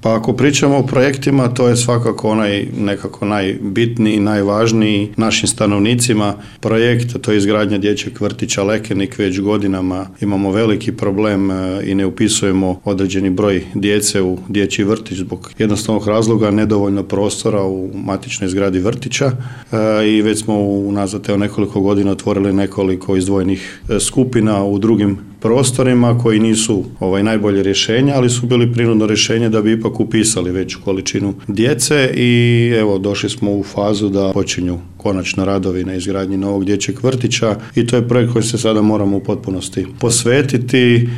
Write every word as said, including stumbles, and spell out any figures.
Pa ako pričamo o projektima, to je svakako onaj nekako najbitniji i najvažniji našim stanovnicima projekt, to je izgradnja dječjeg vrtića Lekenik. Već godinama imamo veliki problem i ne upisujemo određeni broj djece u dječji vrtić zbog jednostavnog razloga nedovoljno prostora u matičnoj zgradi vrtića i već smo unazad evo nekoliko godina otvorili nekoliko izdvojenih skupina u drugim prostorima koji nisu ovaj najbolje rješenja, ali su bili prinudno rješenje da bi ipak upisali veću količinu djece i evo došli smo u fazu da počinju konačno radovi na izgradnji novog dječjeg vrtića i to je projekt koji se sada moramo u potpunosti posvetiti.